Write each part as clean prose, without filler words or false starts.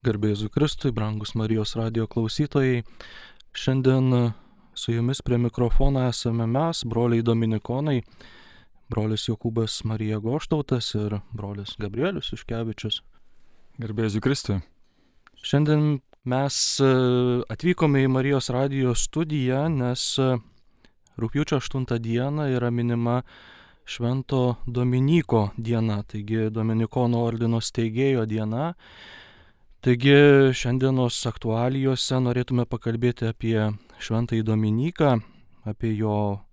Garbė Jėzui Kristui, brangus Marijos radijo klausytojai. Šiandien su jumis prie mikrofono esame mes, broliai Dominikonai, brolis Jokūbas Marija Goštautas ir brolis Gabrielius Juškevičius. Garbė Jėzui Kristui. Šiandien mes atvykome į Marijos radijo studiją, nes rugpjūčio 8 dieną yra minima Švento Dominyko diena, taigi Dominikonų ordino steigėjo diena. Taigi šiandienos aktualijose norėtume pakalbėti apie Šventąjį Dominiką, apie jo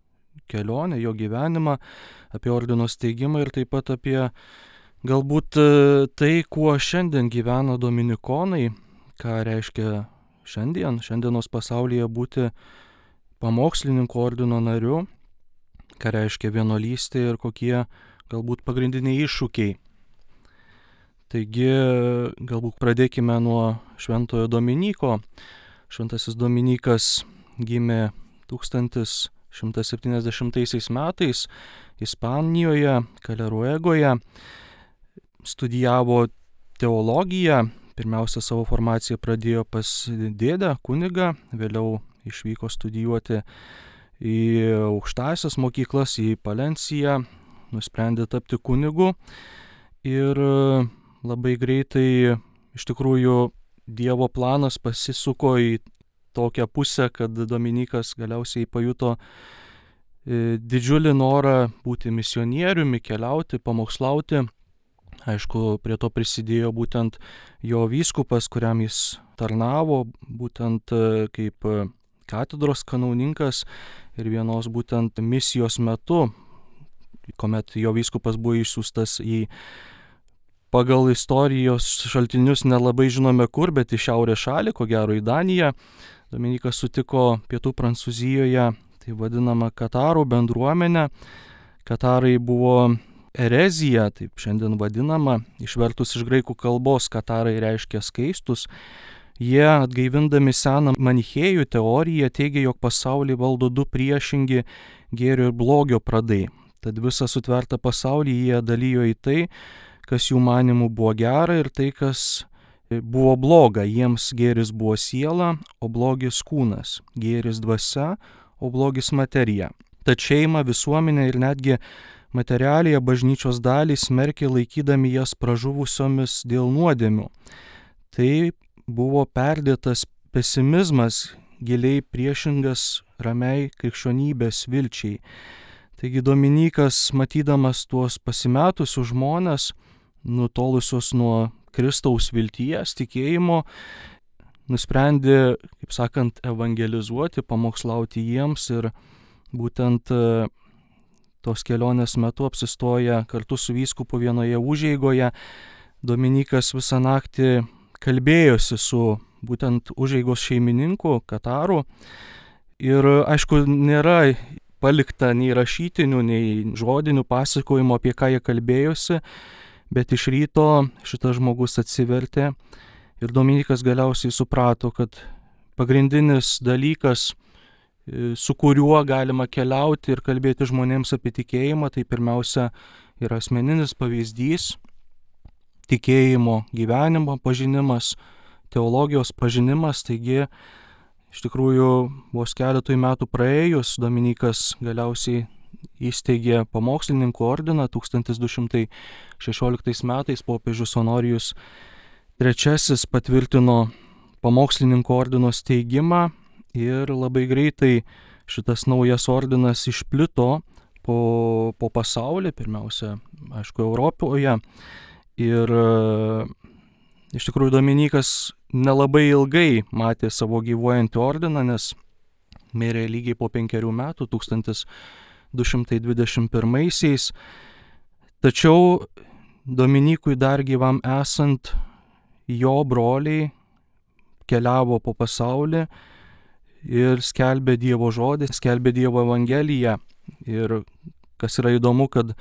kelionę, jo gyvenimą, apie ordino steigimą ir taip pat apie galbūt tai, kuo šiandien gyvena dominikonai, ką reiškia šiandienos pasaulyje būti pamokslininko ordino nariu, ką reiškia vienuolystė ir kokie galbūt pagrindiniai iššūkiai. Taigi, galbūt pradėkime nuo Šventojo Dominyko. Šventasis Dominykas gimė 1170 metais Ispanijoje, Kaleruegoje, studijavo teologiją, pirmiausia savo formaciją pradėjo pas dėdę, kunigą, vėliau išvyko studijuoti į aukštąsias mokyklas, į Palenciją, nusprendė tapti kunigu ir labai greitai iš tikrųjų Dievo planas pasisuko į tokią pusę, kad Dominykas galiausiai pajuto didžiulį norą būti misionieriumi, keliauti, pamokslauti. Aišku, prie to prisidėjo būtent jo vyskupas, kuriam jis tarnavo, būtent kaip katedros kanauninkas ir vienos būtent misijos metu, kuomet jo vyskupas buvo išsiųstas į pagal istorijos šaltinius nelabai žinome kur, bet į šiaurės šalį, ko gero į Daniją. Dominykas sutiko pietų Prancūzijoje, tai vadinama katarų bendruomenę. Katarai buvo erezija, taip šiandien vadinama, išvertus iš graikų kalbos katarai reiškia skaistus. Jie, atgaivindami seną manichėjų teoriją, teigia, jog pasaulį valdo du priešingi gėrio ir blogio pradai. Tad visą sutvertą pasaulį jie dalijo į tai, kas jų manimų buvo gera ir tai, kas buvo bloga. Jiems gėris buvo siela, o blogis kūnas, gėris dvasia, o blogis materija. Tad šeimą, visuomenę ir netgi materialiąją bažnyčios dalį smerkė, laikydami jas pražuvusiomis dėl nuodėmių. Tai buvo perdėtas pesimizmas, giliai priešingas ramiai krikščionybės vilčiai. Taigi Dominykas, matydamas tuos pasimetusius žmones, nutolusios nuo Kristaus vilties, tikėjimo, nusprendė, kaip sakant, evangelizuoti, pamokslauti jiems ir būtent tos kelionės metu apsistoja kartu su vyskupu vienoje užeigoje. Dominykas visą naktį kalbėjosi su būtent užeigos šeimininku, kataru ir aišku, nėra palikta nei rašytinių, nei žodinių pasakojimų, apie ką jie kalbėjosi, bet iš ryto šitas žmogus atsivertė ir Dominykas galiausiai suprato, kad pagrindinis dalykas, su kuriuo galima keliauti ir kalbėti žmonėms apie tikėjimą, tai pirmiausia yra asmeninis pavyzdys, tikėjimo gyvenimo pažinimas, teologijos pažinimas. Taigi, iš tikrųjų, vos keletui metų praėjus, Dominykas galiausiai įsteigė pamokslininkų ordiną. 1216 metais popiežius Honorijus III patvirtino pamokslininkų ordino steigimą ir labai greitai šitas naujas ordinas išplito po pasaulį, pirmiausia, aišku, Europoje. Ir iš tikrųjų Dominykas nelabai ilgai matė savo gyvuojantį ordiną, nes mirė lygiai po 5 metų, 1221. Tačiau Dominykui dar gyvam esant, jo broliai keliavo po pasaulį ir skelbė Dievo žodį, skelbė Dievo evangeliją. Ir kas yra įdomu, kad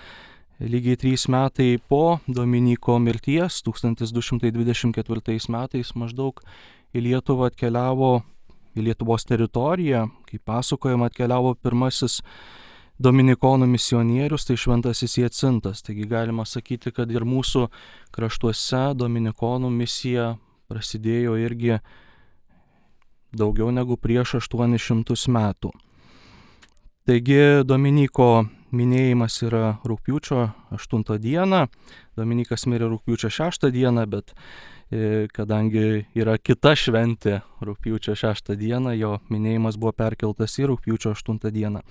lygiai 3 metai po Dominyko mirties, 1224 metais maždaug į Lietuvą atkeliavo, į Lietuvos teritoriją, kaip pasakojama, atkeliavo pirmasis dominikonų misionierius, tai šventasis Jacintas. Taigi galima sakyti, kad ir mūsų kraštuose dominikonų misija prasidėjo irgi daugiau negu prieš 800 metų. Taigi Dominyko minėjimas yra rugpjūčio 8 dieną, Dominykas mirė rugpjūčio 6 dieną, bet kadangi yra kita šventė rugpjūčio 6 dieną, jo minėjimas buvo perkeltas į rugpjūčio 8 dieną.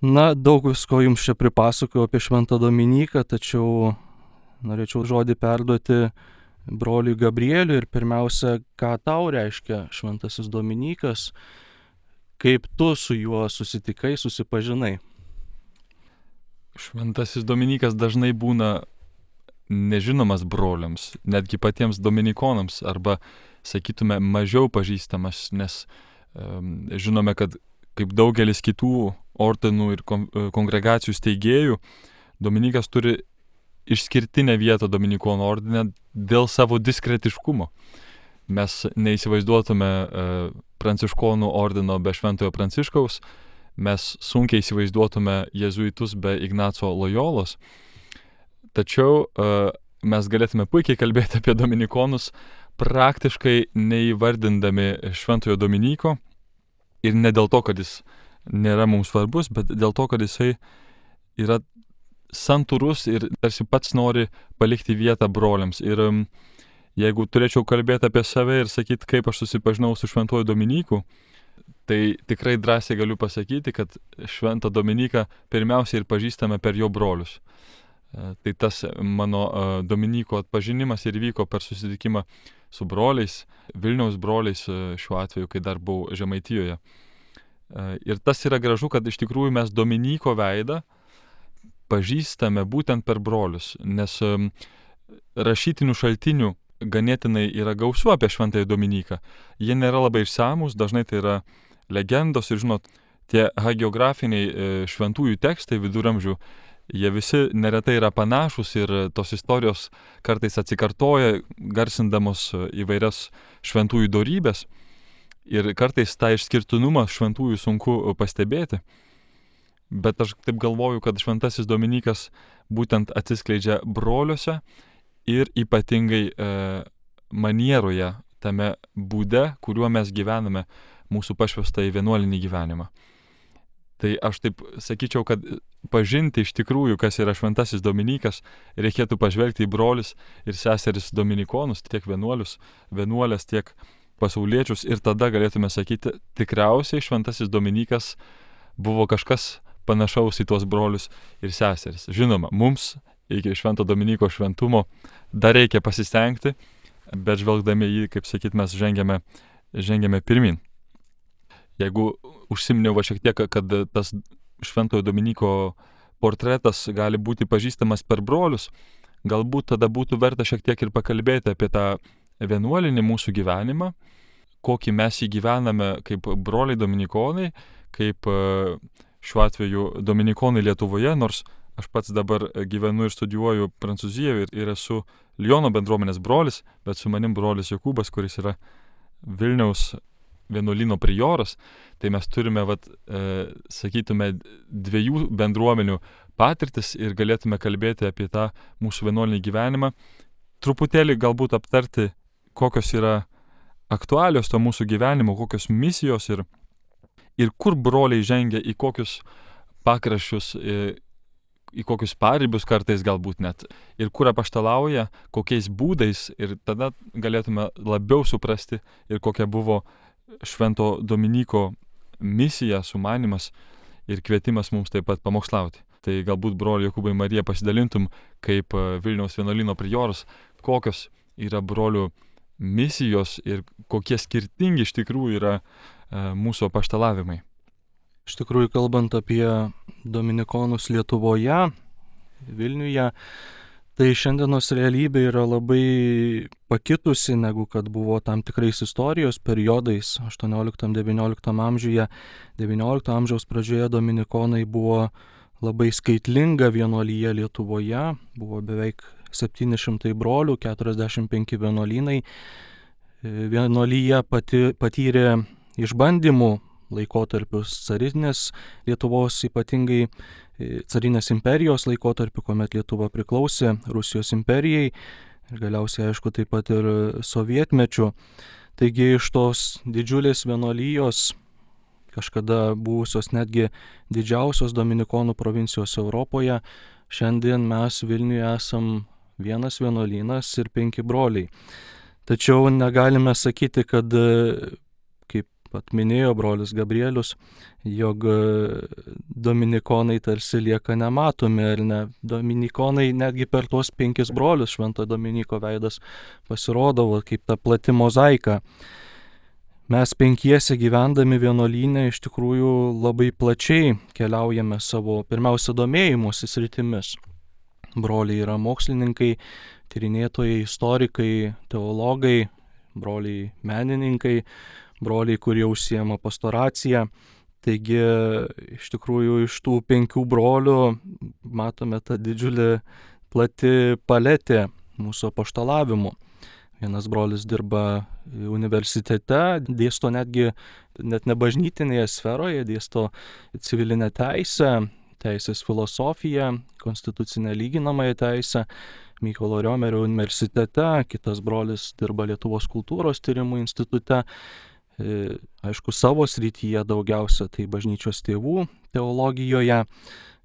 Na, daug visko jums čia pripasakojau apie šventą Dominiką, tačiau norėčiau žodį perduoti broliui Gabrieliui ir pirmiausia, ką tau reiškia šventasis Dominikas, kaip tu su juo susitikai, susipažinai. Šventasis Dominikas dažnai būna nežinomas broliams, netgi patiems dominikonams, arba, sakytume, mažiau pažįstamas, nes žinome, kad kaip daugelis kitų ordinų ir kongregacijų steigėjų, Dominikas turi išskirtinę vietą Dominikonų ordine dėl savo diskretiškumo. Mes neįsivaizduotume pranciškonų ordino be Šventojo Pranciškaus, mes sunkiai įsivaizduotume jėzuitus be Ignaco Lojolos, tačiau mes galėtume puikiai kalbėti apie dominikonus, praktiškai neįvardindami Šventojo Dominyko, ir ne dėl to, kad jis nėra mums svarbus, bet dėl to, kad jisai yra santūrus ir tarsi pats nori palikti vietą broliams. Ir jeigu turėčiau kalbėti apie save ir sakyti, kaip aš susipažinau su Šventuoju Dominyku, tai tikrai drąsiai galiu pasakyti, kad Šventą Dominiką pirmiausiai ir pažįstame per jo brolius. Tai tas mano Dominyko atpažinimas ir vyko per susitikimą su broliais, Vilniaus broliais šiuo atveju, kai dar buvau Žemaitijoje. Ir tas yra gražu, kad iš tikrųjų mes Dominyko veidą pažįstame būtent per brolius, nes rašytinių šaltinių ganėtinai yra gausu apie Šventąjį Dominiką. Jie nėra labai išsamūs, dažnai tai yra legendos ir, žinot, tie hagiografiniai šventųjų tekstai viduramžių, jie visi neretai yra panašus ir tos istorijos kartais atsikartoja, garsindamos įvairias šventųjų dorybės. Ir kartais tą išskirtinumą šventųjų sunku pastebėti. Bet aš taip galvoju, kad Šventasis Dominikas būtent atsiskleidžia broliuose ir ypatingai manieroje, tame būde, kuriuo mes gyvename mūsų pašvestą į vienuolinį gyvenimą. Tai aš taip sakyčiau, kad pažinti iš tikrųjų, kas yra Šventasis Dominikas, reikėtų pažvelgti į brolius ir seseris dominikonus, tiek vienuolius, vienuolės, tiek pasauliečius, ir tada galėtume sakyti, tikriausiai Šventasis Dominikas buvo kažkas panašaus į tuos brolius ir seseris. Žinoma, mums iki Švento Dominiko šventumo dar reikia pasistengti, bet žvelgdami jį, kaip sakyt, mes žengiame pirmin. Jeigu užsiminiau šiek tiek, kad tas Šventojo Dominiko portretas gali būti pažįstamas per brolius, galbūt tada būtų verta šiek tiek ir pakalbėti apie tą vienuolinį mūsų gyvenimą, kokį mes jį gyvename kaip broliai dominikonai, kaip šiuo atveju dominikonai Lietuvoje, nors aš pats dabar gyvenu ir studijuoju Prancūzijoje ir esu Liono bendruomenės brolis, bet su manim brolis Jokūbas, kuris yra Vilniaus vienuolyno prioras, tai mes turime, sakytume, dviejų bendruomenių patirtis ir galėtume kalbėti apie tą mūsų vienuolinį gyvenimą, truputėlį galbūt aptarti, kokios yra aktualios to mūsų gyvenimo, kokios misijos ir kur broliai žengia į kokius pakraščius, į kokius paribius kartais galbūt net, ir kur apaštalauja, kokiais būdais, ir tada galėtume labiau suprasti ir kokia buvo Švento Dominiko misija, sumanymas ir kvietimas mums taip pat pamokslauti. Tai galbūt, broli Jokūbai, Marija, pasidalintum kaip Vilniaus vienuolyno prioras, kokios yra brolių misijos ir kokie skirtingi iš tikrųjų yra mūsų apaštalavimai. Iš tikrųjų, kalbant apie dominikonus Lietuvoje, Vilniuje, tai šiandienos realybė yra labai pakitusi, negu kad buvo tam tikrais istorijos periodais 18-19 amžiuje. 19 amžiaus pradžioje dominikonai buvo labai skaitlinga vienuolyje Lietuvoje, buvo beveik 700 brolių, 45 vienuolynai. Vienuolyje patyrė išbandymų laikotarpius carinės Lietuvos, ypatingai carinės imperijos laikotarpiu, kuomet Lietuva priklausė Rusijos imperijai. ir galiausiai, aišku, taip pat ir sovietmečiu. Taigi iš tos didžiulės vienuolijos, kažkada buvusios netgi didžiausios dominikonų provincijos Europoje, šiandien mes Vilniuje esam vienas vienuolynas ir 5 broliai. Tačiau negalime sakyti, kad, kaip pat minėjo brolis Gabrielius, jog dominikonai tarsi lieka nematomi, ar ne. Dominikonai netgi per tuos 5 brolius Švento Dominiko veidas pasirodavo kaip ta plati mozaika. Mes 5 gyvendami vienuolyne iš tikrųjų labai plačiai keliaujame savo pirmiausia domėjimosi sritimis. Broliai yra mokslininkai, tyrinėtojai, istorikai, teologai, broliai menininkai, broliai, kurie užsiema pastoraciją. Taigi iš tikrųjų iš tų 5 brolių matome tą didžiulį plati paletė mūsų apaštalavimų. Vienas brolis dirba universitete, dėsto net ne bažnytinėje sferoje, dėsto civilinę teisę, teisės filosofiją, konstitucinę lyginamąją teisę Mykolo Riomerio universitete, kitas brolis dirba Lietuvos kultūros tyrimų institute, aišku, savo srityje daugiausia tai bažnyčios tėvų teologijoje.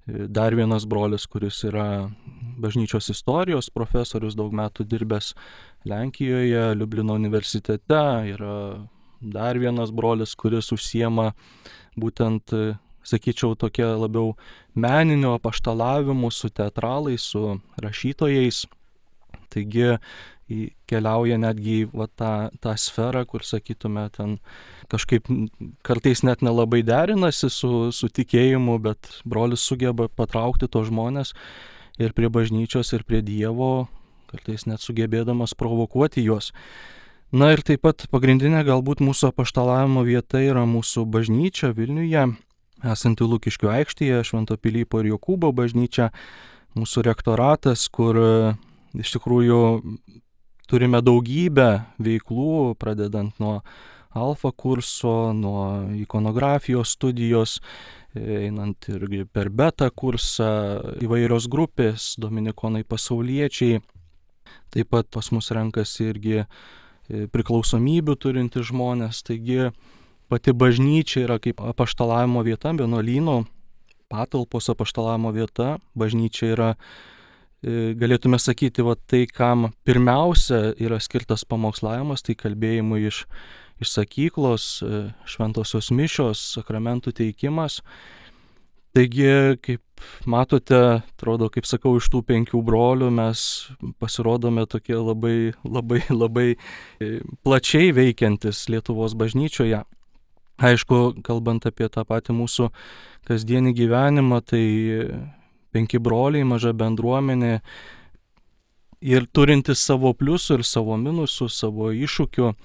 Dar vienas brolis, kuris yra bažnyčios istorijos profesorius, daug metų dirbęs Lenkijoje, Liublino universitete. Yra dar vienas brolis, kuris užsiema būtent, sakyčiau, tokia labiau meninio apaštalavimu su teatralais, su rašytojais. Taigi keliauja netgi tą sferą, kur, sakytume, ten kažkaip kartais net nelabai derinasi su tikėjimu, bet brolis sugeba patraukti tos žmonės ir prie bažnyčios, ir prie Dievo, kartais net sugebėdamas provokuoti juos. Na ir taip pat pagrindinė galbūt mūsų apaštalavimo vieta yra mūsų bažnyčia Vilniuje, esanti Lukiškių aikštėje, Švento Pilypo ir Jokūbo bažnyčia, mūsų rektoratas, kur iš tikrųjų turime daugybę veiklų, pradedant nuo alfa kurso, nuo ikonografijos studijos, einant irgi per beta kursą, įvairios grupės, dominikonai pasauliečiai. Taip pat pas mus renkasi irgi priklausomybių turinti žmonės. Taigi pati bažnyčia yra kaip apaštalavimo vieta, vienuolyno patalpos apaštalavimo vieta. Bažnyčia yra, galėtume sakyti, tai, kam pirmiausia yra skirtas pamokslavimas, tai kalbėjimui iš sakyklos, šventosios mišios, sakramentų teikimas. Taigi, kaip matote, atrodo, kaip sakau, iš tų 5 brolių mes pasirodome tokie labai plačiai veikiantis Lietuvos bažnyčioje. Aišku, kalbant apie tą patį mūsų kasdienį gyvenimą, tai 5 broliai, maža bendruomenė ir turintis savo pliusų ir savo minusų, savo iššūkių.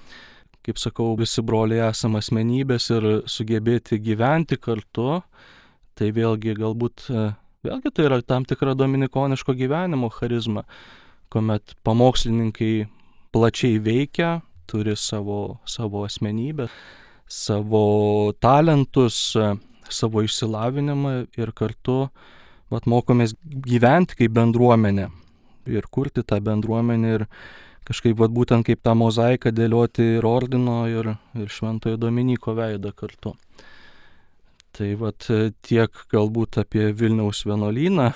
Kaip sakau, visi broliai esame asmenybės ir sugebėti gyventi kartu. Tai vėlgi tai yra tam tikra dominikoniško gyvenimo charizma, kuomet pamokslininkai plačiai veikia, turi savo asmenybę, savo talentus, savo išsilavinimą ir kartu mokomės gyventi kaip bendruomenė ir kurti tą bendruomenę ir kažkaip būtent kaip tą mozaiką dėlioti ir ordino, ir Šventojo Dominiko veidą kartu. Tai tiek galbūt apie Vilniaus vienuolyną.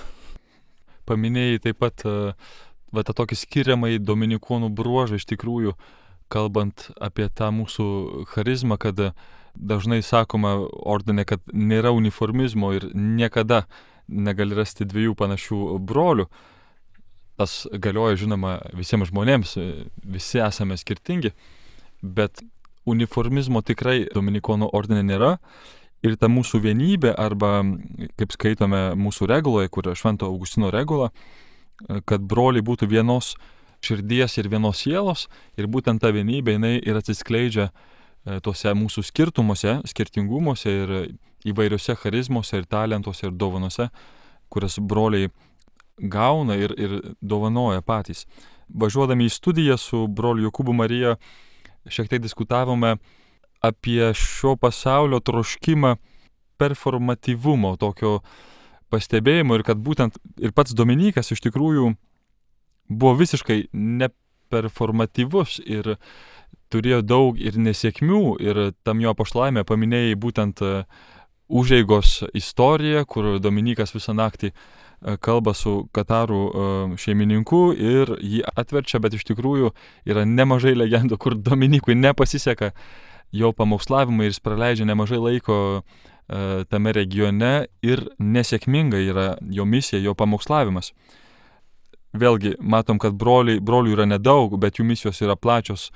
Paminėjai taip pat tą tokį skiriamąjį dominikonų bruožą, iš tikrųjų, kalbant apie tą mūsų charizmą, kad dažnai sakoma ordine, kad nėra uniformizmo ir niekada negali rasti 2 panašių brolių. Tas galioja, žinoma, visiems žmonėms, visi esame skirtingi, bet uniformizmo tikrai dominikonų ordine nėra. Ir ta mūsų vienybė, arba, kaip skaitome mūsų reguloje, kur yra Švento Augustino regula, kad broliai būtų vienos širdies ir vienos sielos, ir būtent ta vienybė jinai ir atsiskleidžia tuose mūsų skirtumuose, skirtingumuose ir įvairiose charizmose ir talentuose ir dovanose, kurias broliai gauna ir dovanoja patys. Važiuodami į studiją su broliu Jokūbu Marija šiek tiek diskutavome apie šio pasaulio troškimą performatyvumo, tokio pastebėjimo, ir kad būtent ir pats Dominikas iš tikrųjų buvo visiškai neperformatyvus ir turėjo daug ir nesėkmių, ir tam jo apaštalavime paminėjai būtent užeigos istoriją, kur Dominikas visą naktį kalba su Katarų šeimininku ir jį atverčia, bet iš tikrųjų yra nemažai legendų, kur Dominikui nepasiseka jo pamokslavimai ir jis praleidžia nemažai laiko tame regione ir nesėkminga yra jo misija, jo pamokslavimas. Vėlgi, matom, kad brolių yra nedaug, bet jų misijos yra plačios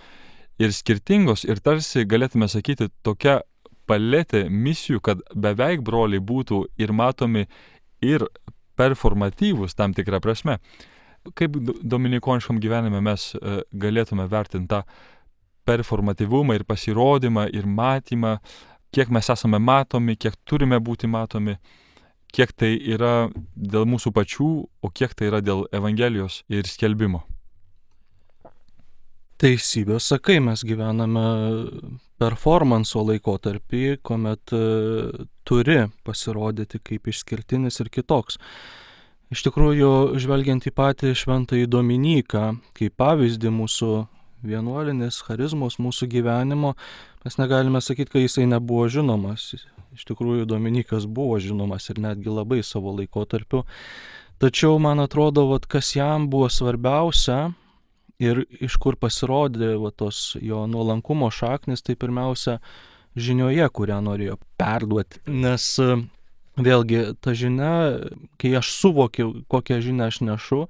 ir skirtingos ir tarsi galėtume sakyti tokia paletė misijų, kad beveik broliai būtų ir matomi, ir performatyvūs tam tikrą prasme. Kaip dominikoniškam gyvenime mes galėtume vertinti tą performatyvumą ir pasirodymą ir matymą, kiek mes esame matomi, kiek turime būti matomi, kiek tai yra dėl mūsų pačių, o kiek tai yra dėl Evangelijos ir skelbimo. Teisybė, sakai, mes gyvename performanso laikotarpį, kuomet turi pasirodyti kaip išskirtinis ir kitoks. Iš tikrųjų, žvelgiant į patį šventąjį Dominiką, kaip pavyzdį mūsų vienuolinės charizmos, mūsų gyvenimo, mes negalime sakyti, kad jisai nebuvo žinomas. Iš tikrųjų, Dominikas buvo žinomas ir netgi labai savo laikotarpiu. Tačiau, man atrodo, kas jam buvo svarbiausia, ir iš kur pasirodė tos jo nuolankumo šaknis, tai pirmiausia žinioje, kurią norėjo perduoti. Nes vėlgi ta žinia, kai aš suvokiu, kokią žinią aš nešu,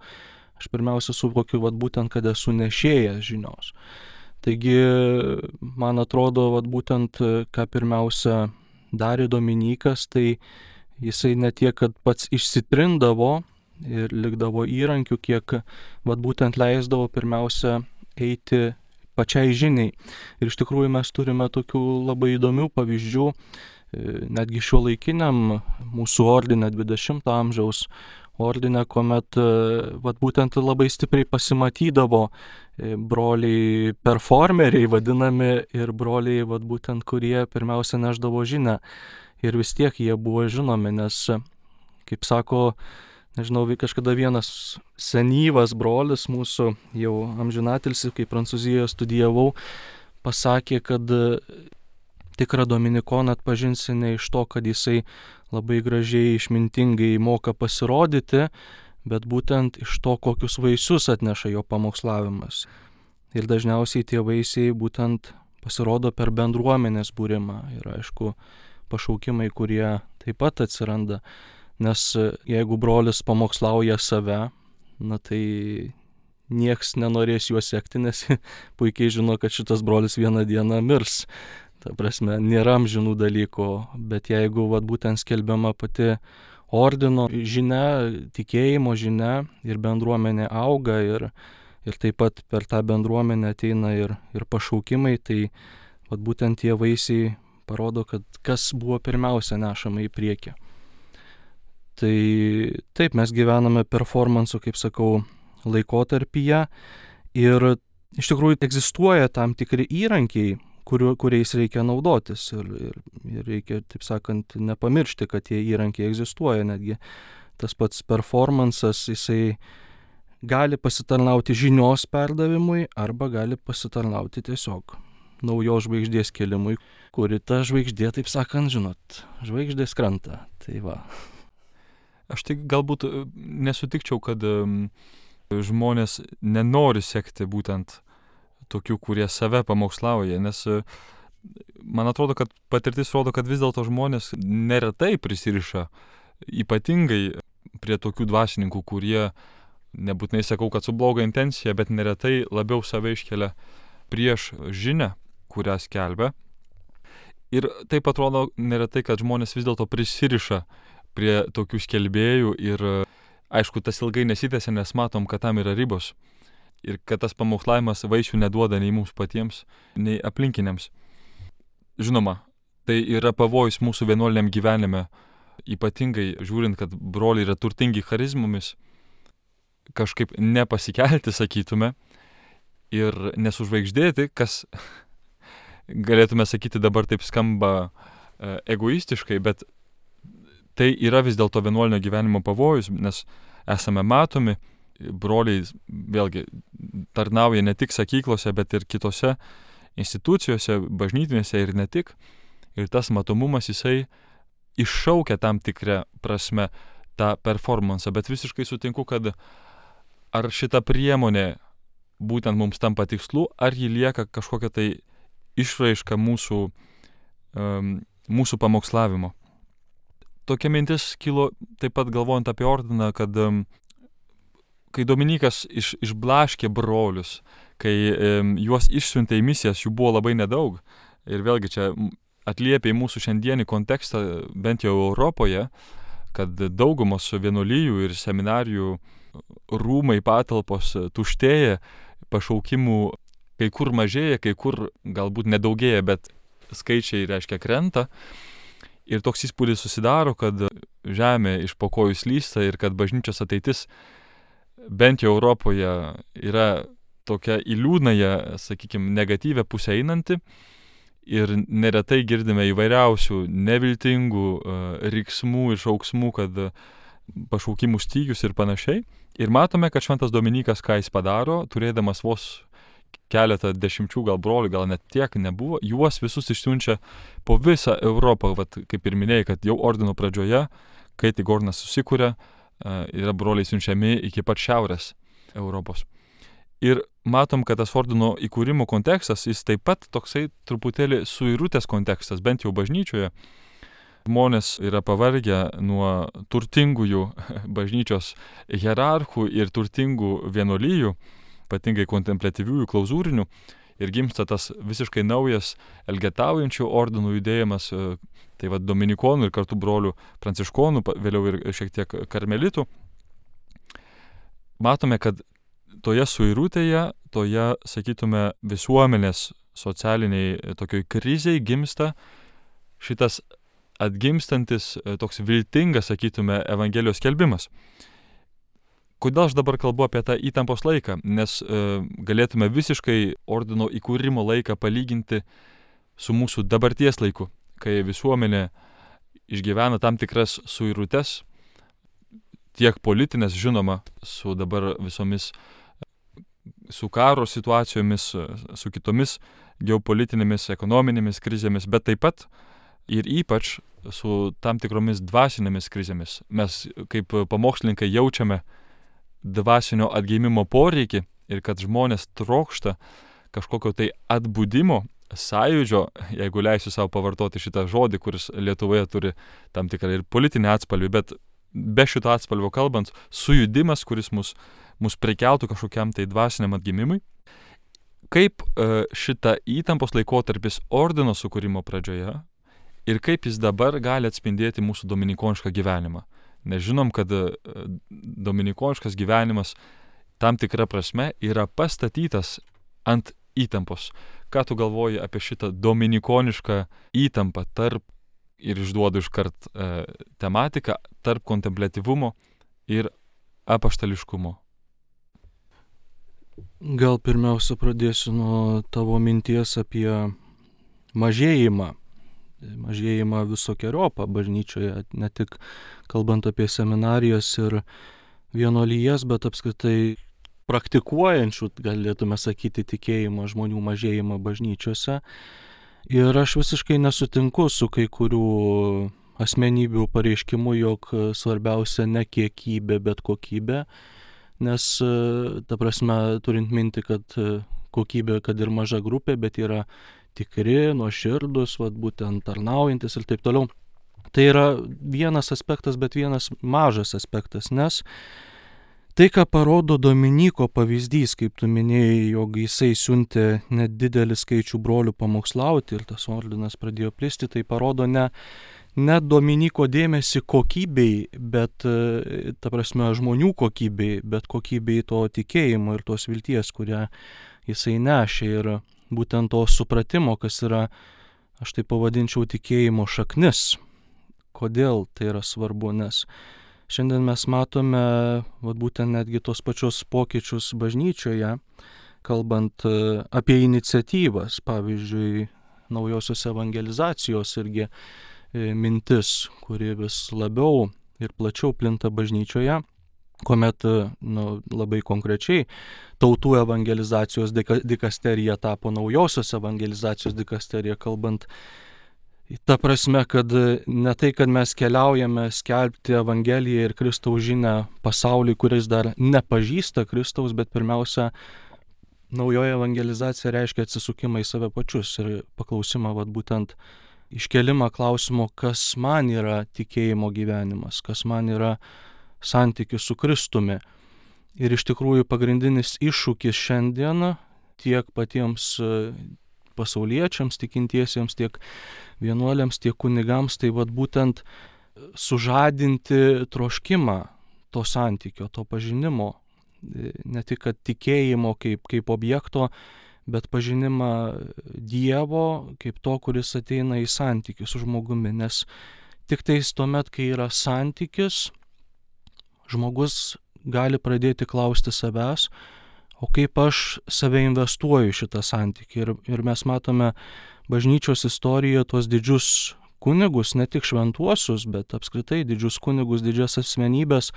aš pirmiausia suvokiu būtent, kad esu nešėjas žinios. Taigi, man atrodo, būtent, ką pirmiausia darė Dominikas, tai jisai ne tiek, kad pats išsitrindavo ir likdavo įrankių, kiek būtent leisdavo pirmiausia eiti pačiai žiniai. Ir iš tikrųjų mes turime tokių labai įdomių pavyzdžių, netgi šiuolaikiniam mūsų ordine 20 amžiaus ordine, kuomet būtent labai stipriai pasimatydavo broliai performeriai vadinami ir broliai būtent, kurie pirmiausia neždavo žinią. Ir vis tiek jie buvo žinomi, nes, kaip sako, nežinau, kažkada vienas senyvas brolis mūsų, jau amžinatilsį, kai Prancūzijoje studijavau, pasakė, kad tikrą dominikoną atpažinsi ne iš to, kad jisai labai gražiai, išmintingai moka pasirodyti, bet būtent iš to, kokius vaisius atneša jo pamokslavimas. Ir dažniausiai tie vaisiai būtent pasirodo per bendruomenės būrimą. Ir aišku, pašaukimai, kurie taip pat atsiranda. Nes jeigu brolis pamokslauja save, tai nieks nenorės juo sekti, nes puikiai žino, kad šitas brolis vieną dieną mirs. Ta prasme, nėra amžinų dalykų, bet jeigu būtent skelbiama pati ordino žinia, tikėjimo žinia ir bendruomenė auga ir taip pat per tą bendruomenę ateina ir pašaukimai, tai būtent tie vaisiai parodo, kad kas buvo pirmiausia nešama į priekį. Tai taip, mes gyvename performanso, kaip sakau, laikotarpyje ir iš tikrųjų egzistuoja tam tikri įrankiai, kuriais reikia naudotis ir reikia, taip sakant, nepamiršti, kad tie įrankiai egzistuoja. Netgi tas pats performansas, jisai gali pasitarnauti žinios perdavimui arba gali pasitarnauti tiesiog naujos žvaigždės kėlimui, kuri ta žvaigždė, taip sakant, žinot, žvaigždės krenta. Tai va. Aš tik galbūt nesutikčiau, kad žmonės nenori sekti būtent tokių, kurie save pamokslauja, nes man atrodo, kad patirtis rodo, kad vis dėlto žmonės neretai prisiriša ypatingai prie tokių dvasininkų, kurie, nebūtinai sakau, kad su bloga intencija, bet neretai labiau save iškelia prieš žinią, kurią skelbia. Ir taip atrodo neretai, kad žmonės vis dėlto prisiriša prie tokių skelbėjų ir aišku, tas ilgai nesitęsia, nes matom, kad tam yra ribos ir kad tas pamokslavimas vaisių neduoda nei mums patiems, nei aplinkiniams. Žinoma, tai yra pavojus mūsų vienuoliniam gyvenime, ypatingai žiūrint, kad broliai yra turtingi charizmomis, kažkaip nepasikelti, sakytume, ir nesužvaigždėti, kas galėtume sakyti dabar taip skamba egoistiškai, bet tai yra vis dėlto vienuolinio gyvenimo pavojus, nes esame matomi, broliai vėlgi tarnauja ne tik sakyklose, bet ir kitose institucijose, bažnytinėse ir ne tik. Ir tas matomumas jisai iššaukia tam tikrą prasme tą performansą, bet visiškai sutinku, kad ar šita priemonė būtent mums tampa tikslu, ar ji lieka kažkokia tai išraiška mūsų pamokslavimo. Tokia mintis kilo taip pat galvojant apie ordiną, kad kai Dominykas išblaškė brolius, kai juos išsiuntė į misijas, jų buvo labai nedaug. Ir vėlgi čia atliepia į mūsų šiandienį kontekstą, bent jau Europoje, kad daugumos vienuolijų ir seminarijų rūmai, patalpos tuštėja, pašaukimų kai kur mažėja, kai kur galbūt nedaugėja, bet skaičiai reiškia krenta. Ir toks įspūdis susidaro, kad žemė iš po kojų slysta ir kad bažnyčios ateitis bent jau Europoje yra tokia į liūdnąją, sakykime, negatyvę pusę einanti. Ir neretai girdime įvairiausių neviltingų riksmų ir šauksmų, kad pašaukimų stygius ir panašiai. Ir matome, kad šventas Dominykas, ką jis padaro, turėdamas vos keletą dešimčių gal brolių, gal net tiek nebuvo, juos visus išsiunčia po visą Europą. Vat, kaip ir minėjai, kad jau ordino pradžioje, kai tik ordinas susikūrė, yra broliai siunčiami iki pat šiaurės Europos. Ir matom, kad tas ordino įkūrimo kontekstas, jis taip pat toksai truputėlį suirutės kontekstas, bent jau bažnyčioje. Žmonės yra pavargę nuo turtingųjų bažnyčios hierarchų ir turtingų vienuolijų, ypatingai kontempliatyviųjų klauzūrinių, ir gimsta tas visiškai naujas elgetaujančių ordinų judėjimas, tai va dominikonų ir kartu brolių pranciškonų, vėliau ir šiek tiek karmelitų. Matome, kad toje suirutėje, toje, sakytume, visuomenės socialiniai tokioj kriziai gimsta šitas atgimstantis, toks viltingas, sakytume, Evangelijos skelbimas. Kodėl aš dabar kalbu apie tą įtampos laiką? Nes galėtume visiškai ordino įkūrimo laiką palyginti su mūsų dabarties laiku, kai visuomenė išgyvena tam tikras suirutes, tiek politinės, žinoma, su dabar visomis, su karo situacijomis, su kitomis geopolitinėmis, ekonominėmis krizėmis, bet taip pat ir ypač su tam tikromis dvasinėmis krizėmis. Mes kaip pamokslininkai jaučiame dvasinio atgimimo poreikį ir kad žmonės trokšta kažkokio tai atbudimo, sąjūdžio, jeigu leisiu savo pavartoti šitą žodį, kuris Lietuvoje turi tam tikrą ir politinį atspalvį, bet be šito atspalvio kalbant, sujudimas, kuris mus prikeltų kažkokiam tai dvasiniam atgimimui. Kaip šita įtampos laikotarpis ordino sukūrimo pradžioje ir kaip jis dabar gali atspindėti mūsų dominikonišką gyvenimą. Nes žinom, kad dominikoniškas gyvenimas tam tikra prasme yra pastatytas ant įtampos. Ką tu galvoji apie šitą dominikonišką įtampą tarp, ir išduodu iškart tematiką, tarp kontempliatyvumo ir apaštališkumo? Gal pirmiausia pradėsiu nuo tavo minties apie mažėjimą visokeriopą bažnyčioje, ne tik kalbant apie seminarijas ir vienuolijas, bet apskritai praktikuojančių, galėtume sakyti, tikėjimo žmonių mažėjimą bažnyčiose. Ir aš visiškai nesutinku su kai kurių asmenybių pareiškimu, jog svarbiausia ne kiekybė, bet kokybė, nes, ta prasme, turint minti, kad kokybė, kad ir maža grupė, bet yra tikri, nuoširdus, būtent tarnaujantis ir taip toliau. Tai yra vienas aspektas, bet vienas mažas aspektas, nes tai, ką parodo Dominyko pavyzdys, kaip tu minėjai, jog jisai siuntė nedidelį skaičių brolių pamokslauti ir tas ordinas pradėjo plisti, tai parodo ne Dominyko dėmesį kokybei, bet, ta prasme, žmonių kokybei, bet kokybei to tikėjimo ir tos vilties, kurią jisai nešė, ir būtent to supratimo, kas yra, aš tai pavadinčiau, tikėjimo šaknis. Kodėl tai yra svarbu? Nes šiandien mes matome būtent netgi tos pačios pokyčius bažnyčioje, kalbant apie iniciatyvas, pavyzdžiui, naujosios evangelizacijos irgi mintis, kuri vis labiau ir plačiau plinta bažnyčioje. kuomet labai konkrečiai tautų evangelizacijos dikasterija tapo naujosios evangelizacijos dikasterija, kalbant ta prasme, kad ne tai, kad mes keliaujame skelbti Evangeliją ir Kristaus žinią pasauliui, kuris dar nepažįsta Kristaus, bet pirmiausia, naujoji evangelizacija reiškia atsisukimą į save pačius ir paklausimą, būtent iškelimą klausimo, kas man yra tikėjimo gyvenimas, kas man yra santykis su Kristumi. Ir iš tikrųjų pagrindinis iššūkis šiandien tiek patiems pasauliečiams, tikintiesiems, tiek vienuoliams, tiek kunigams, tai būtent sužadinti troškimą to santykio, to pažinimo. Ne tik kad tikėjimo kaip objekto, bet pažinimą Dievo kaip to, kuris ateina į santykį su žmogumi. Nes tik tais tuomet, kai yra santykis, žmogus gali pradėti klausti savęs, o kaip aš save investuoju šitą santykį. Ir mes matome bažnyčios istorijoje tuos didžius kunigus, ne tik šventuosius, bet apskritai didžius kunigus, didžias asmenybės,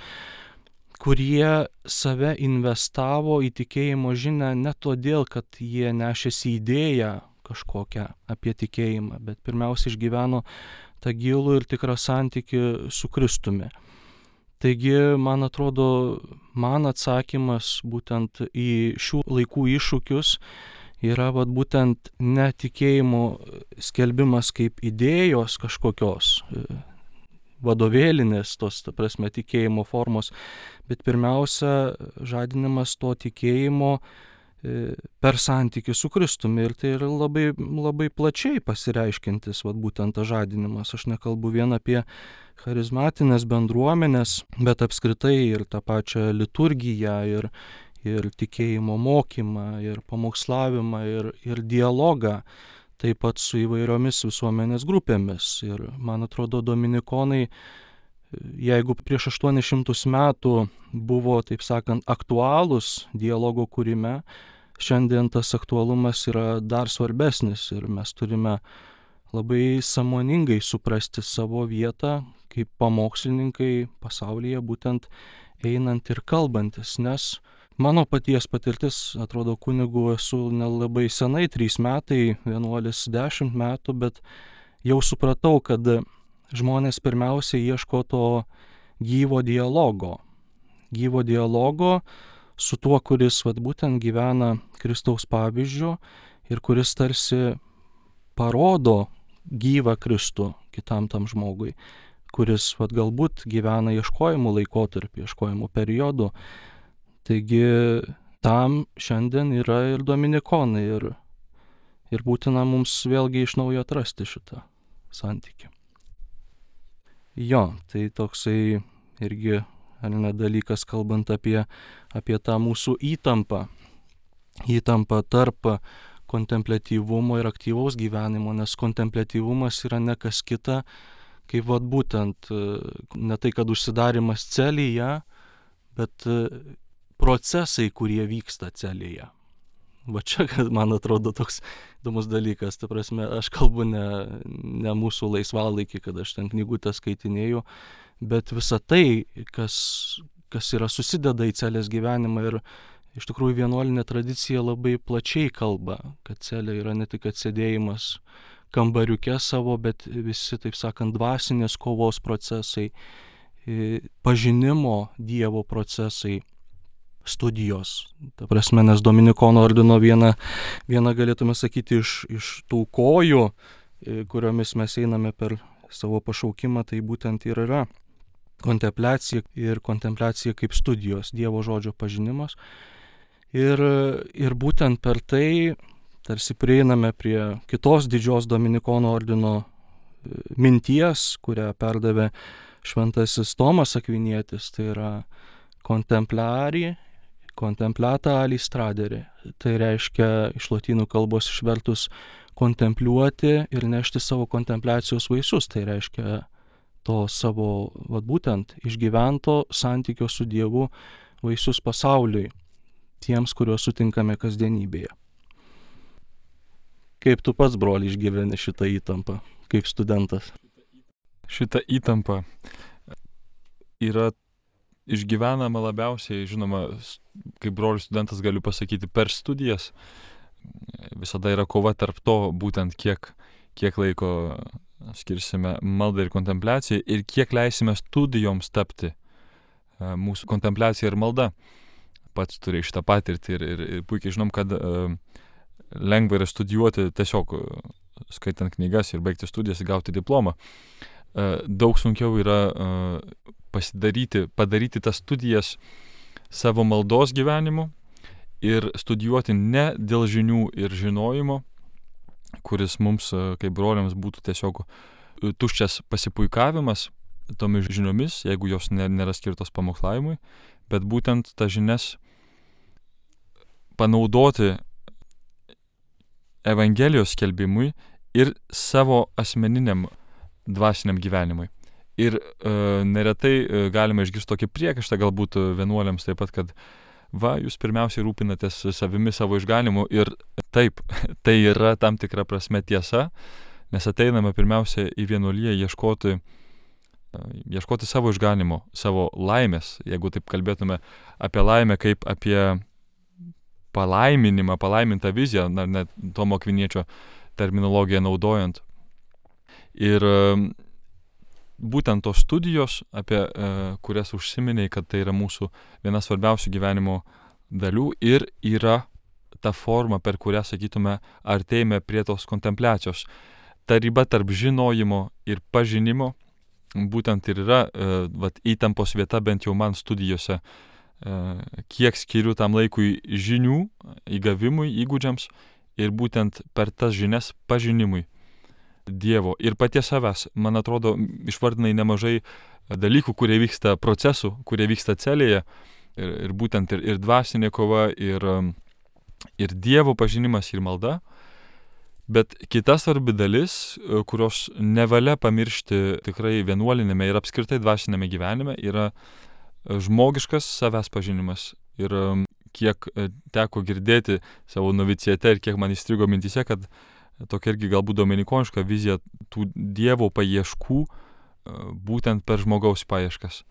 kurie save investavo į tikėjimo žinią ne todėl, kad jie nešėsi idėją kažkokią apie tikėjimą, bet pirmiausia išgyveno tą gilų ir tikrą santykį su Kristumi. Taigi, man atrodo, man atsakymas būtent į šių laikų iššūkius yra būtent ne tikėjimo skelbimas kaip idėjos kažkokios, vadovėlinės, tos, ta prasme, tikėjimo formos, bet pirmiausia, žadinimas to tikėjimo per santykį su Kristumi. Ir tai yra labai, labai plačiai pasireiškintis, būtent tas žadinimas. Aš nekalbu vien apie charizmatinės bendruomenės, bet apskritai ir tą pačią liturgiją, ir tikėjimo mokymą, ir pamokslavimą, ir dialogą, taip pat su įvairiomis visuomenės grupėmis. Ir man atrodo, dominikonai, jeigu prieš 800 metų buvo, taip sakant, aktualūs dialogo kūrime, šiandien tas aktualumas yra dar svarbesnis ir mes turime labai sąmoningai suprasti savo vietą kaip pamokslininkai pasaulyje, būtent einant ir kalbantis, nes mano paties patirtis, atrodo, kunigu esu nelabai senai, 3 metai, vienuolis 10 metų, bet jau supratau, kad žmonės pirmiausia ieško to gyvo dialogo su tuo, kuris būtent gyvena Kristaus pavyzdžiu ir kuris tarsi parodo gyvą Kristų kitam tam žmogui, kuris galbūt gyvena ieškojimų laikotarpį, ieškojimų periodų. Taigi tam šiandien yra ir dominikonai ir būtina mums vėlgi iš naujo atrasti šitą santykį. Jo, tai toksai irgi dalykas, kalbant apie tą mūsų įtampą tarp kontempliatyvumo ir aktyvaus gyvenimo, nes kontempliatyvumas yra ne kas kita, kaip būtent ne tai, kad užsidarimas celėje, bet procesai, kurie vyksta celėje. Čia, man atrodo, toks įdomus dalykas. Ta prasme, aš kalbu ne mūsų laisvalaikį, kad aš ten knygutę skaitinėju, bet visa tai, kas yra susideda į celės gyvenimą. Ir iš tikrųjų vienuolinė tradicija labai plačiai kalba, kad celė yra ne tik atsėdėjimas kambariuke savo, bet visi, taip sakant, dvasinės kovos procesai, pažinimo Dievo procesai, studijos. Ta prasme, nes Dominikonų ordino viena galėtume sakyti iš tų kojų, kuriomis mes einame per savo pašaukimą, tai būtent ir yra kontempliacija ir kontempliacija kaip studijos, Dievo žodžio pažinimas. Ir būtent per tai tarsi prieiname prie kitos didžios Dominikonų ordino minties, kurią perdavė šventasis Tomas Akvinietis, tai yra contemplata alis tradere. Tai reiškia iš lotynų kalbos išvertus kontempliuoti ir nešti savo kontempliacijos vaisius. Tai reiškia to savo, būtent išgyvento santykio su Dievu vaisius pasauliui, tiems, kuriuos sutinkame kasdienybėje. Kaip tu pats, broli, išgyveni šitą įtampą, kaip studentas? Šita įtampa yra išgyvenama labiausiai, žinoma, kaip brolių studentas galiu pasakyti, per studijas. Visada yra kova tarp to, būtent kiek laiko skirsime maldai ir kontempliacijai ir kiek leisime studijoms tapti mūsų kontempliacija ir malda. Pats turi šitą patirtį ir puikiai žinom, kad lengva yra studijuoti tiesiog skaitant knygas ir baigti studijas ir gauti diplomą. Daug sunkiau yra padaryti tas studijas savo maldos gyvenimu ir studijuoti ne dėl žinių ir žinojimo, kuris mums, kaip broliams, būtų tiesiog tuščias pasipuikavimas tomis žiniomis, jeigu jos nėra skirtos pamokslavimui, bet būtent tas žinias panaudoti Evangelijos skelbimui ir savo asmeniniam dvasiniam gyvenimui. Ir neretai galima išgirsti tokį priekaištą galbūt vienuoliams taip pat, kad jūs pirmiausiai rūpinatės savimi, savo išganimu, ir taip, tai yra tam tikra prasme tiesa, nes ateiname pirmiausia į vienuoliją ieškoti savo išganimo, savo laimės, jeigu taip kalbėtume apie laimę kaip apie palaiminimą, palaimintą viziją, net Tomo Akviniečio terminologiją naudojant. Ir būtent tos studijos, apie kurias užsiminiai, kad tai yra mūsų viena svarbiausių gyvenimo dalių ir yra ta forma, per kurią, sakytume, artėjame prie tos kontempliacijos. Ta riba tarp žinojimo ir pažinimo būtent ir yra įtampos vieta, bent jau man studijose, kiek skiriu tam laikui žinių, įgavimui, įgūdžiams ir būtent per tas žinias pažinimui Dievo ir paties savęs. Man atrodo, išvardinai nemažai dalykų, kurie vyksta procesų, kurie vyksta celėje ir būtent ir dvasinė kova, ir Dievo pažinimas, ir malda. Bet kita svarbi dalis, kurios nevalia pamiršti tikrai vienuolinėme ir apskritai dvasinėme gyvenime, yra žmogiškas savęs pažinimas. Ir kiek teko girdėti savo novicijate ir kiek man įstrigo mintyse, kad tokia irgi galbūt dominikoniška vizija tų Dievo paieškų būtent per žmogaus paieškas.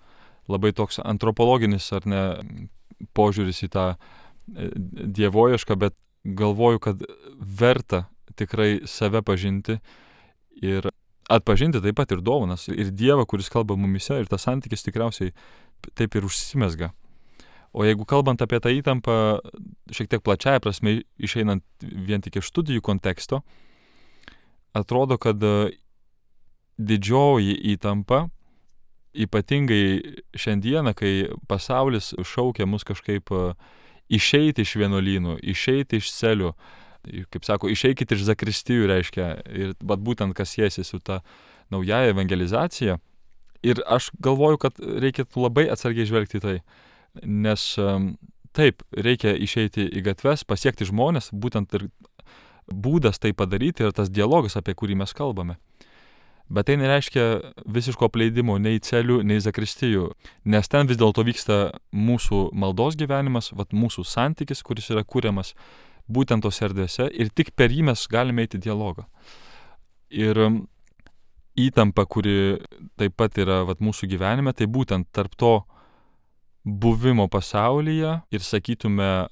Labai toks antropologinis ar ne požiūris į tą dievoiešką, bet galvoju, kad verta tikrai save pažinti ir atpažinti taip pat ir dovanas, ir Dievą, kuris kalba mumise, ir tas santykis tikriausiai taip ir užsimezga. O jeigu kalbant apie tą įtampą, šiek tiek plačiaja prasme, išeinant vien tik iš studijų konteksto, atrodo, kad didžioji įtampa, ypatingai šiandieną, kai pasaulis šaukia mus kažkaip išeiti iš vienuolynų, išeiti iš celių, kaip sako, išeikit iš zakristijų, reiškia, ir būtent kas siejasi su ta naujaja evangelizacija. Ir aš galvoju, kad reikėtų labai atsargiai žvelgti tai. Nes taip, reikia išeiti į gatves, pasiekti žmonės, būtent ir būdas tai padaryti ir tas dialogas, apie kurį mes kalbame. Bet tai nereiškia visiško apleidimo nei celių, nei zakristijų, nes ten vis dėlto vyksta mūsų maldos gyvenimas, mūsų santykis, kuris yra kuriamas būtent tos erdvėse ir tik per jį mes galime eiti dialogą. Ir įtampa, kuri taip pat yra mūsų gyvenime, tai būtent tarp to buvimo pasaulyje ir sakytume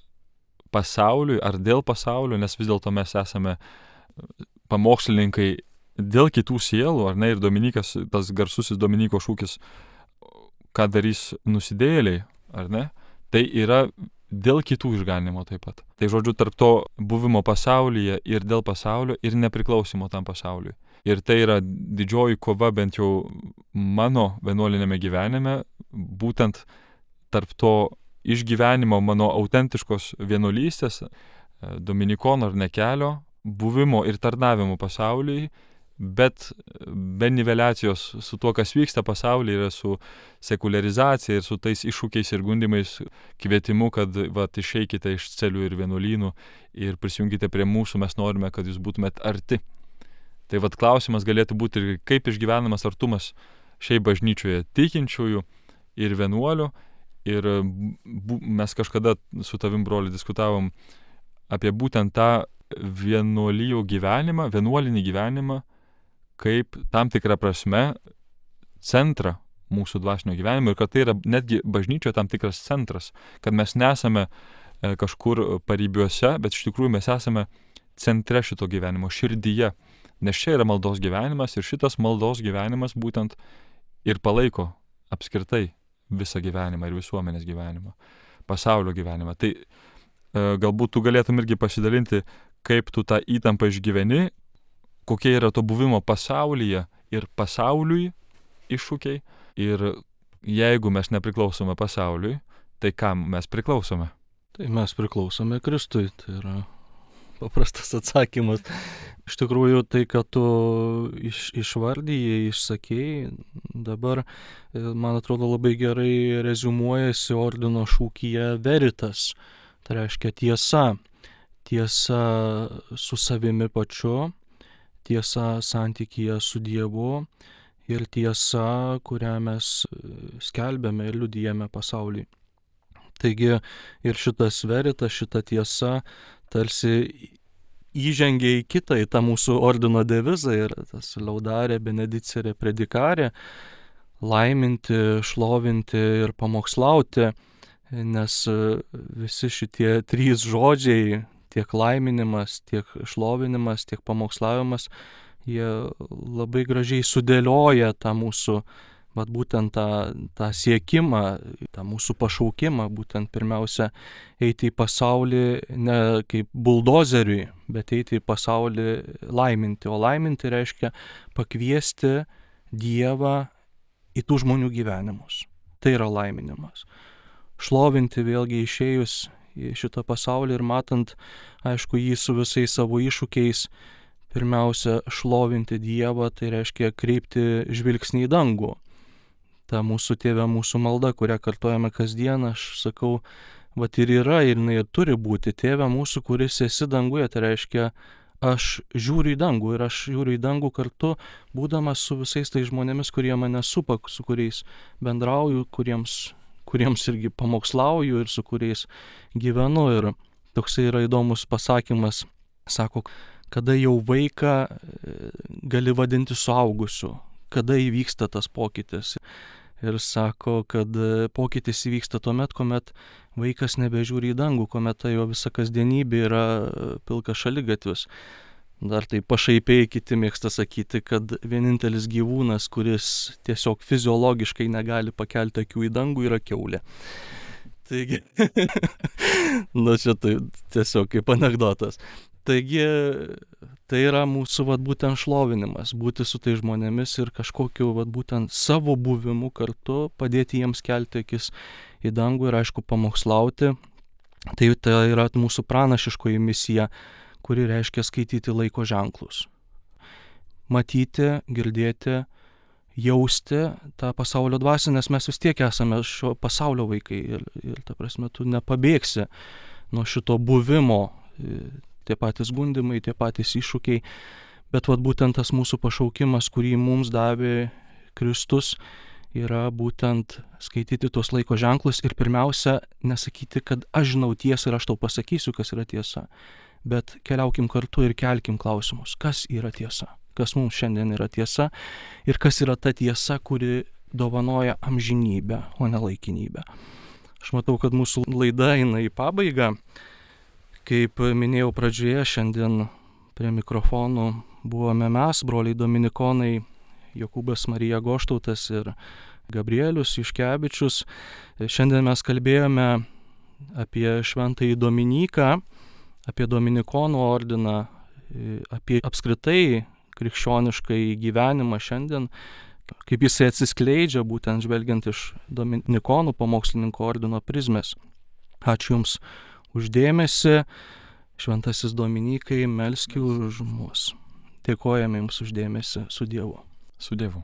pasauliui ar dėl pasaulio, nes vis dėlto mes esame pamokslininkai dėl kitų sielų, ar ne, ir Dominikas, tas garsusis Dominiko šūkis, ką darys nusidėjėliai, ar ne, tai yra dėl kitų išganimo taip pat. Tai žodžiu, tarp to buvimo pasaulyje ir dėl pasaulio ir nepriklausimo tam pasauliui. Ir tai yra didžioji kova, bent jau mano vienuolinėme gyvenime, būtent tarp to išgyvenimo mano autentiškos vienuolystės, dominikono ar ne kelio, buvimo ir tarnavimo pasauliui, bet be niveliacijos su tuo, kas vyksta pasaulyje, ir su sekuliarizacija, ir su tais iššūkiais ir gundimais, kvietimu, kad išeikite iš celių ir vienuolynų ir prisijungite prie mūsų, mes norime, kad jūs būtumėt arti. Tai klausimas galėtų būti ir kaip išgyvenamas artumas šiaip bažnyčioje tikinčiųjų ir vienuolių. Ir mes kažkada su tavim, broli, diskutavom apie būtent tą vienuolijų gyvenimą, vienuolinį gyvenimą, kaip tam tikrą prasme centrą mūsų dvasinio gyvenimo ir kad tai yra netgi bažnyčioje tam tikras centras, kad mes nesame kažkur paribiuose, bet iš tikrųjų mes esame centre šito gyvenimo, širdyje. Nes čia yra maldos gyvenimas ir šitas maldos gyvenimas būtent ir palaiko apskritai visą gyvenimą ir visuomenės gyvenimą, pasaulio gyvenimą. Tai galbūt tu galėtum irgi pasidalinti, kaip tu tą įtampą išgyveni, kokie yra to buvimo pasaulyje ir pasauliui iššūkiai. Ir jeigu mes nepriklausome pasauliui, tai kam mes priklausome? Tai mes priklausome Kristui, tai yra paprastas atsakymas. Iš tikrųjų, tai, kad tu išvardyjai, išsakėjai, dabar, man atrodo, labai gerai reziumuojasi ordino šūkyje veritas. Tai reiškia tiesa. Tiesa su savimi pačiu, tiesa santykyje su Dievu ir tiesa, kurią mes skelbėme ir liudijame pasauliui. Taigi ir šitas veritas, šita tiesa tarsi įžengia į kitą, į tą mūsų ordino devizą ir tas laudare, benedicere, predikare, laiminti, šlovinti ir pamokslauti, nes visi šitie trys žodžiai, tiek laiminimas, tiek šlovinimas, tiek pamokslavimas, jie labai gražiai sudėlioja tą mūsų, būtent tą siekimą, tą mūsų pašaukimą, būtent pirmiausia eiti į pasaulį ne kaip buldozeriui, bet eiti į pasaulį laiminti. O laiminti reiškia pakviesti Dievą į tų žmonių gyvenimus. Tai yra laiminimas. Šlovinti vėlgi išėjus į šitą pasaulį ir matant, aišku, jį su visais savo iššūkiais, pirmiausia, šlovinti Dievą, tai reiškia kreipti žvilgsnį į dangų. Ta mūsų Tėve, mūsų malda, kurią kartojame kasdien, aš sakau, ir yra, ir jinai turi būti. Tėve mūsų, kuris esi danguje, tai reiškia, aš žiūriu į dangų ir aš žiūriu į dangų kartu, būdamas su visais tais žmonėmis, kurie mane supa, su kuriais bendrauju, kuriems irgi pamokslauju ir su kuriais gyvenu. Ir toksai yra įdomus pasakymas, sako, kada jau vaiką gali vadinti suaugusiu, kada įvyksta tas pokytis. Ir sako, kad pokytis įvyksta tuomet, kuomet vaikas nebežiūri į dangų, kuomet ta jo visa kasdienybė yra pilkas šaligatvis. Dar tai pašaipiai kiti mėgsta sakyti, kad vienintelis gyvūnas, kuris tiesiog fiziologiškai negali pakelti akių į dangų, yra kiaulė. Taigi, čia tai tiesiog kaip anekdotas. Taigi, tai yra mūsų būtent šlovinimas, būti su tai žmonėmis ir kažkokiu būtent savo buvimu kartu padėti jiems kelti akis į dangų ir aišku pamokslauti. Tai yra mūsų pranašiškoji misija, kuri reiškia skaityti laiko ženklus. Matyti, girdėti, jausti tą pasaulio dvasią, nes mes vis tiek esame šio pasaulio vaikai ir ta prasme tu nepabėgsi nuo šito buvimo. Tie patys gundimai, tie patys iššūkiai, bet būtent tas mūsų pašaukimas, kurį mums davė Kristus, yra būtent skaityti tuos laiko ženklus ir pirmiausia nesakyti, kad aš žinau tiesą ir aš tau pasakysiu, kas yra tiesa, bet keliaukim kartu ir kelkim klausimus, kas yra tiesa, kas mums šiandien yra tiesa ir kas yra ta tiesa, kuri dovanoja amžinybę, o ne laikinybę. Aš matau, kad mūsų laida eina į pabaigą. Kaip minėjau pradžioje, šiandien prie mikrofonų buvome mes, broliai dominikonai, Jokūbas Marija Goštautas ir Gabrielius Juškevičius. Šiandien mes kalbėjome apie šventąjį Dominiką, apie Dominikonų ordiną, apie apskritai krikščioniškai gyvenimą šiandien, kaip jisai atsiskleidžia būtent žvelgiant iš Dominikonų pamokslininko ordino prizmės. Ačiū Jums uždėmesi, šventasis Dominikai, melski už mus. Dėkojame Jums uždėmesi, su Dievu. Su Dievu.